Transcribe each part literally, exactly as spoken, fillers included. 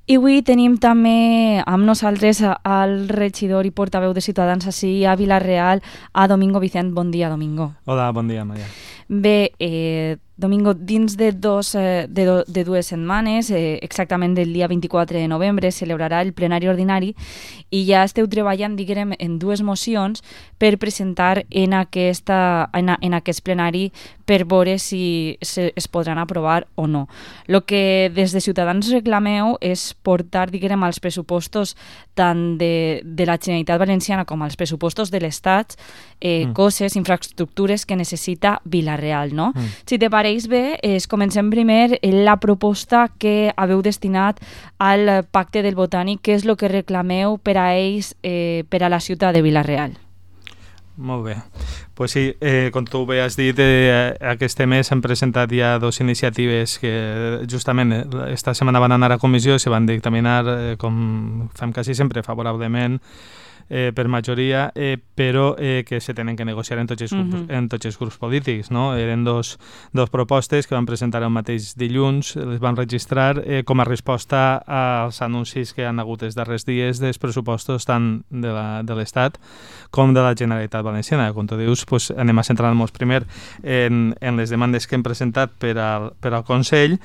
I avui tenim també amb nosaltres el regidor i portaveu de Ciutadans ací a Vila-real, a Domingo Vicent. Bon dia, Domingo. Hola, bon dia, Maria. Bé, eh, Domingo, dins de, dos, eh, de, do, de dues setmanes, eh, exactament del dia vint-i-quatre de novembre, celebrarà el plenari ordinari i ja esteu treballant, diguem, en dues mocions per presentar en, aquesta, en, en aquest plenari per veure si se, es podran aprovar o no. El que des de Ciutadans reclameu és portar, diguem, als pressupostos tant de, de la Generalitat Valenciana com als pressupostos de l'Estat eh, mm. coses, infraestructures que necessita Vila-real, no? Mm. Si te pareix bé, eh, comencem primer la proposta que haveu destinat al Pacte del Botànic, que és el que reclameu per a ells, eh, per a la ciutat de Vila-real. Molt bé. Pues sí, eh, com tu bé has dit, eh, aquest mes s'han presentat ja dues iniciatives que justament esta setmana van anar a comissió i se van dictaminar, eh, com fem quasi sempre, favorablement eh, per majoria, eh, però eh, que se tenen que negociar en tots els grups, uh-huh. en tots els grups polítics. No? Eren dos, dos propostes que van presentar el mateix dilluns, les van registrar eh, com a resposta als anuncis que han hagut els darrers dies dels pressupostos tant de, la, de l'Estat com de la Generalitat Valenciana. Com tu dius, pues, anem a centrar-nos primer en, en les demandes que hem presentat per al, per al Consell.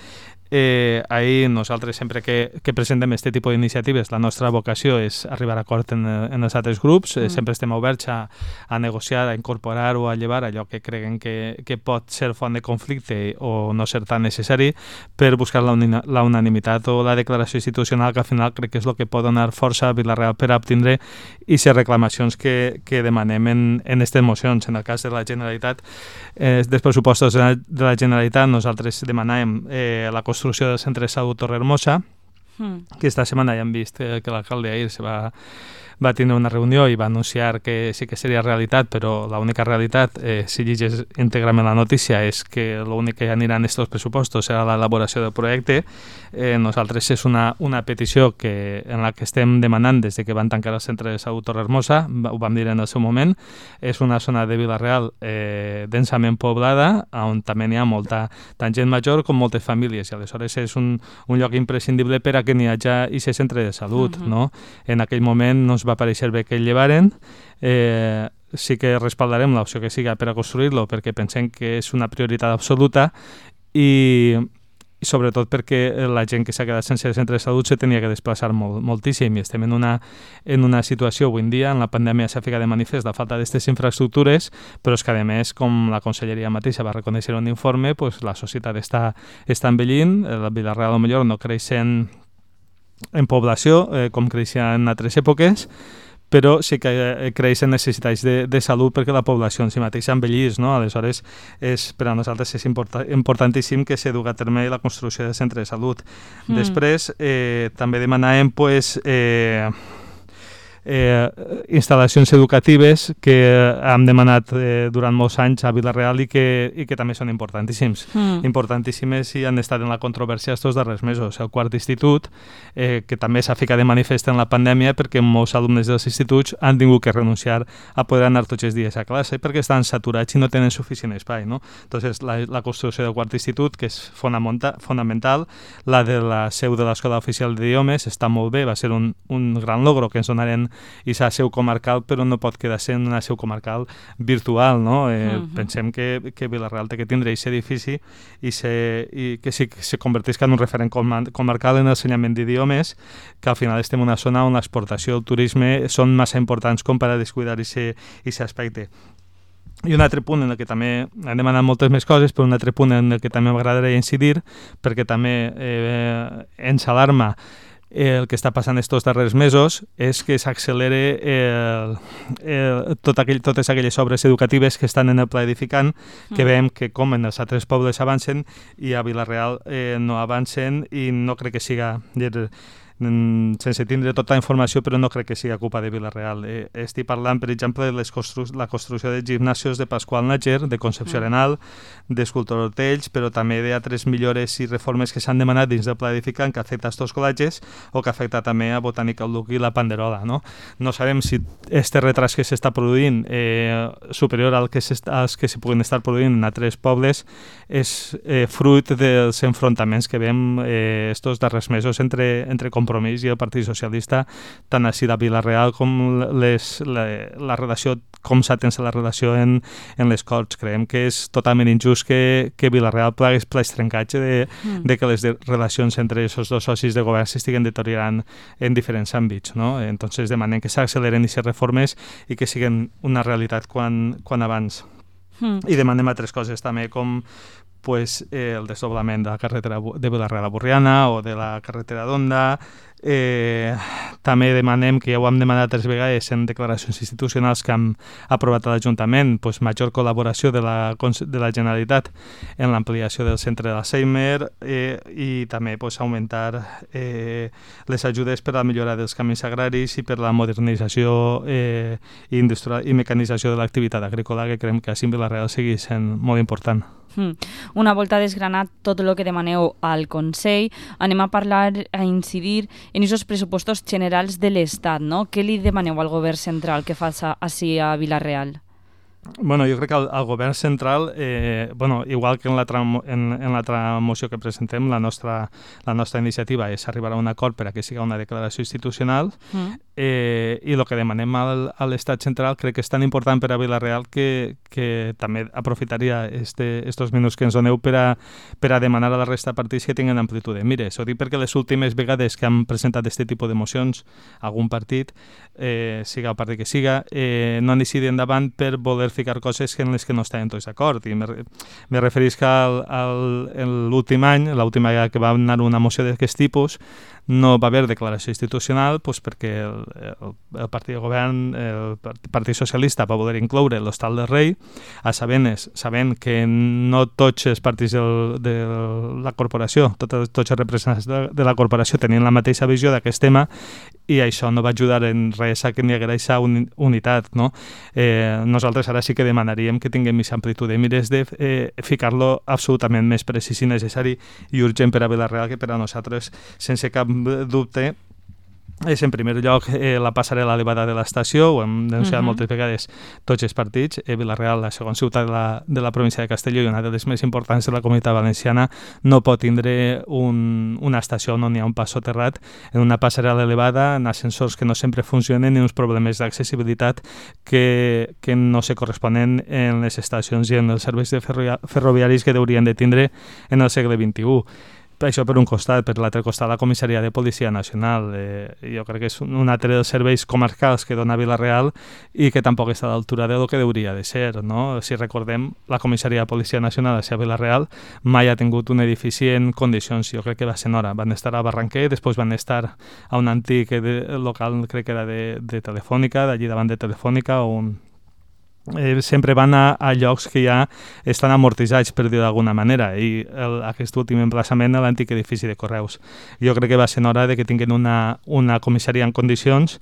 Eh, ahir nosaltres sempre que, que presentem aquest tipus d'iniciatives la nostra vocació és arribar a acord en, en els altres grups, mm. eh, sempre estem oberts a, a negociar, a incorporar o a llevar allò que creguen que, que pot ser font de conflicte o no ser tan necessari per buscar la, uni, la unanimitat o la declaració institucional que al final crec que és el que pot donar força a Vila-real per a obtindre i ser reclamacions que, que demanem en, en aquestes mocions. En el cas de la Generalitat, eh, dels pressupostos de la, de la Generalitat, nosaltres demanàvem eh, la construcció del Centre de Salut Torrehermosa, mm. que esta setmana ja hem vist eh, que l'alcalde ahir se va, va tenir una reunió i va anunciar que sí que seria realitat, però l'única realitat, eh, si llegeix íntegrament la notícia, és que l'únic que anirà en aquests pressupostos serà l'elaboració del projecte. Eh, nosaltres és una, una petició que, en la que estem demanant des de que van tancar el Centre de Salut Torrehermosa, ho vam dir en el seu moment, és una zona de Vila-real eh, densament poblada, on també n'hi ha molta tant gent major com moltes famílies, i aleshores és un, un lloc imprescindible per a que n'hi hagi aquest centre de salut. Uh-huh. No? En aquell moment no es va aparèixer bé que el llevaren, eh, sí que respaldarem l'opció que siga per a construir-lo perquè pensem que és una prioritat absoluta i, i sobretot perquè la gent que s'ha quedat sense el centre de salut se tenia que desplaçar molt, moltíssim i estem en una, en una situació avui en dia, en la pandèmia s'ha ficat de manifest la falta d'aquestes infraestructures, però és que a més, com la conselleria mateixa va reconèixer un informe, pues, la societat està, està envellint, la Vila-real potser no creix en en població, eh, com creixia en altres èpoques, però sí que eh, creixen necessitats de, de salut perquè la població en si mateixa envellís, no? Aleshores, és, per a nosaltres és important, importantíssim que se duga a terme la construcció del centre de salut. Mm. Després, eh, també demanàvem, pues, eh, Eh, instal·lacions educatives que hem demanat eh, durant molts anys a Vila-real i que, i que també són importantíssims. Mm. Importantíssimes i han estat en la controvèrsia estos darrers mesos. El quart institut, eh, que també s'ha ficat de manifest en la pandèmia perquè molts alumnes dels instituts han tingut que renunciar a poder anar tots els dies a classe perquè estan saturats i no tenen suficient espai. No? Entonces, la, la construcció del quart institut, que és fonamental, la de la seu de l'Escola Oficial d'Idiomes, està molt bé, va ser un, un gran logro que ens donaren i s'ha seu comarcal, però no pot quedar sent una seu comarcal virtual, no? Eh, uh-huh. Pensem que, que Vila-real té que tindre aquest edifici i, se, i que sí, que se convertisca en un referent comarcal en l'ensenyament d'idiomes, que al final estem en una zona on l'exportació del turisme són massa importants com per a descuidar aquest aspecte. I un altre punt en el que també hem demanat moltes més coses, però un altre punt en el que també m'agradaria incidir, perquè també eh, ens alarma el que està passant estos darrers mesos és que s'accelere el, el, tot aquell, totes aquelles obres educatives que estan en el pla edificant, que veiem que com en els altres pobles avancen i a Vila-real eh, no avancen i no crec que siga sense tindre tota la informació, però no crec que sigui culpa de Vila-real. Eh, estic parlant, per exemple, de les constru la construcció de gimnasios de Pasqual Nájer, de Concepció mm. Arenal, d'Escultor Hortells, però també d'altres millores i reformes que s'han demanat dins del pla edificant que afecta a estos col·legis o que afecta també a Botànica el Duc i la Panderola. No, no sabem si este retras que s'està produint eh, superior al que als que s'hi puguen estar produint en altres pobles és eh, fruit dels enfrontaments que veiem eh, estos darrers mesos entre, entre companys Compromís i el Partit Socialista, tant així de Vila-real com les, la, la relació, com s'ha tens la relació en, en les Corts. Creiem que és totalment injust que, que Vila-real plegués pleix trencatge de, mm. de que les de, relacions entre aquests dos socis de govern s'estiguen deteriorant en diferents àmbits, no? Entonces demanem que s'acceleren aquestes reformes i que siguin una realitat quan, quan abans. Mm. I demanem altres coses també, com pues, eh, el desdoblament de la carretera de Vila-real a Borriana o de la carretera d'Onda. Eh, també demanem, que ja ho hem demanat tres vegades en declaracions institucionals que hem aprovat a l'Ajuntament, pues, major col·laboració de la, de la Generalitat en l'ampliació del centre de l'Alzheimer eh, i també pues, augmentar eh, les ajudes per a la millora dels camins agraris i per la modernització eh, i, i mecanització de l'activitat agrícola, que creiem que així en Vila-real sigui sent molt important. Mm. Una volta desgranat tot el que demaneu al Consell, anem a parlar, a incidir en aquests pressupostos generals de l'Estat, no? Què li demaneu al govern central que faci així a Vila-real? Bueno, jo crec que el, el govern central, eh, bueno, igual que en l'altra en, en l'altra moció que presentem, la nostra, la nostra iniciativa és arribar a un acord per a que sigui una declaració institucional mm. eh, i el que demanem al, a l'Estat central crec que és tan important per a Vila-real que, que també aprofitaria este, estos minuts que ens doneu per a, per a demanar a la resta de partits que tinguin amplitud. Mire, s'ho dic perquè les últimes vegades que han presentat aquest tipus de mocions, algun partit, eh, siga el partit que siga, eh, no han decidit endavant per voler ficar coses en les que no estaven tots d'acord. I me, me referís que al, al, l'últim any, l'última vegada que va anar una moció d'aquest tipus, no va haver declaració institucional pues, perquè el, el, el partit de govern, el Partit Socialista, va voler incloure l'Hostal del Rei, a sabent, sabent que no tots els partits del, de la corporació, tots, tots els representants de, de la corporació tenien la mateixa visió d'aquest tema i això no va ajudar en res a que n'hi haguera aquesta un, unitat. No? Eh, nosaltres ara sí que demanaríem que tinguem més amplitud de mires de eh, ficar-lo absolutament més precís i necessari i urgent per a Vila-real que per a nosaltres, sense cap dubte, és en primer lloc eh, la passarel·la elevada de l'estació, ho hem denunciat uh-huh. moltes vegades tots els partits. Eh, Vila-real, la segona ciutat de la, de la província de Castelló i una de les més importants de la comunitat valenciana, no pot tindre un, una estació on hi ha un pas soterrat, en una passarel·la elevada, en ascensors que no sempre funcionen i uns problemes d'accessibilitat que, que no se corresponen en les estacions i en els serveis de ferroviaris que haurien de tindre en el segle vint-i-u. Això per un costat, per l'altre costat la comissaria de Policia Nacional. Eh, jo crec que és un altre dels serveis comarcals que dona Vila-real i que tampoc està a l'altura del que hauria de ser. No? Si recordem, la comissaria de Policia Nacional a Vila-real mai ha tingut un edifici en condicions, jo crec que va ser en hora. Van estar a Barranquer, després van estar a un antic de, local, crec que era de, de Telefònica, d'allí davant de Telefònica, o un Eh, sempre van a, a llocs que ja estan amortitzats, per dir d'alguna manera, i el, aquest últim emplaçament a l'antic edifici de Correus. Jo crec que va ser hora de que tinguin una, una comissaria en condicions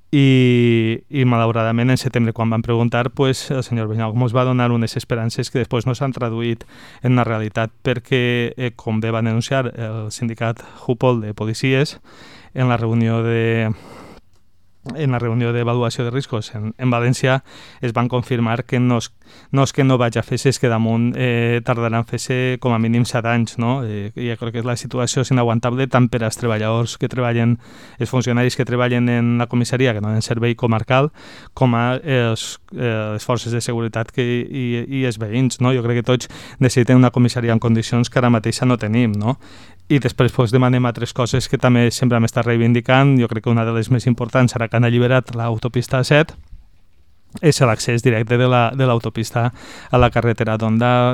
i, i malauradament en setembre, quan van preguntar, pues, el senyor Benyau ens va donar unes esperances que després no s'han traduït en una realitat, perquè, eh, com bé van denunciar el sindicat Jupol de policies en la reunió de... en la reunió d'avaluació de riscos en, en València es van confirmar que no és, no és que no vaig a fer-se, és que damunt eh, tardaran fer-se com a mínim set anys, no? Eh, jo crec que la situació és inaguantable tant per als treballadors que treballen, els funcionaris que treballen en la comissaria, que donen servei comarcal, com a els, eh, les forces de seguretat que, i, i els veïns, no? Jo crec que tots necessitem una comissaria en condicions que ara mateix no tenim, no? I després pues, demanem altres coses que també sempre hem estat reivindicant. Jo crec que una de les més importants, ara que han alliberat l'autopista set, és l'accés directe de l'autopista la, a la carretera d'Onda,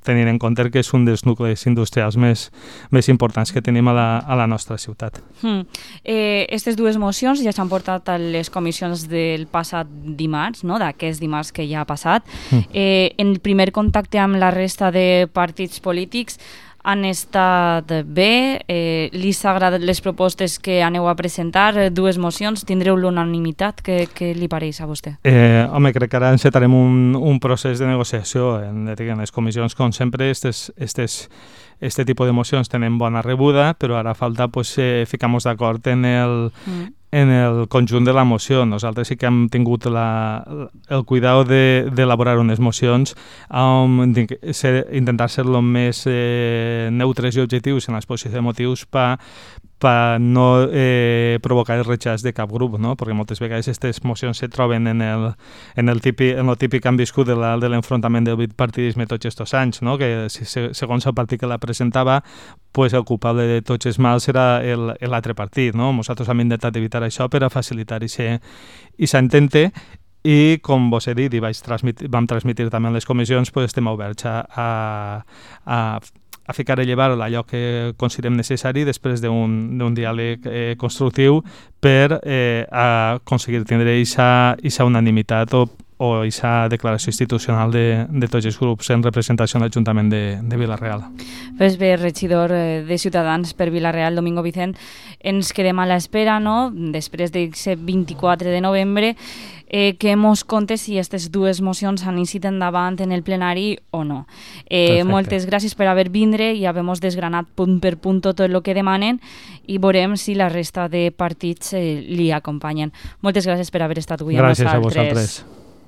tenint en compte que és un dels nuclis industrials més, més importants que tenim a la, a la nostra ciutat. Hmm. Eh, aquestes dues mocions ja s'han portat a les comissions del passat dimarts, no? D'aquest dimarts que ja ha passat. Hmm. Eh, en el primer contacte amb la resta de partits polítics han estat bé, eh, li s'ha agradat les propostes que aneu a presentar, dues mocions, tindreu l'unanimitat, què, què li pareix a vostè? Eh, home, crec que ara encetarem un, un procés de negociació en, en les comissions, com sempre, estes, estes, este tipus de mocions tenen bona rebuda, però ara falta pues, eh, ficar-nos d'acord en el... Mm. en el conjunt de la moció. Nosaltres sí que hem tingut la, el cuidado d'elaborar de, unes mocions um, ser, intentar ser el més eh, neutres i objectius en l'exposició de motius per per no eh, provocar el rechaç de cap grup, no? Perquè moltes vegades aquestes mocions se troben en el, en el, típic, en el típic que han viscut de l'enfrontament del bipartidisme tots aquests anys, no? Que segons el partit que la presentava, pues el culpable de tots els mals era l'altre partit, no? Nosaltres hem intentat evitar això per a facilitar aquest intente, i com vos he dit i vaig transmitir, vam transmitir també en les comissions, pues estem oberts a, a, a a ficar a llevar allò que considerem necessari després d'un diàleg eh, constructiu per eh, aconseguir tindre aquesta unanimitat o o aquesta declaració institucional de, de tots els grups en representació en l'Ajuntament de, de Vila-real. Pues bé, regidor de Ciutadans per Vila-real, Domingo Vicent, ens quedem a l'espera, no?, després d'aquest vint-i-quatre de novembre, eh, que mos conte si aquestes dues mocions han iniciat endavant en el plenari o no. Eh, moltes gràcies per haver vindre i haver-nos desgranat punt per punt tot el que demanen i veurem si la resta de partits eh, li acompanyen. Moltes gràcies per haver estat avui amb nosaltres. Gràcies a vosaltres.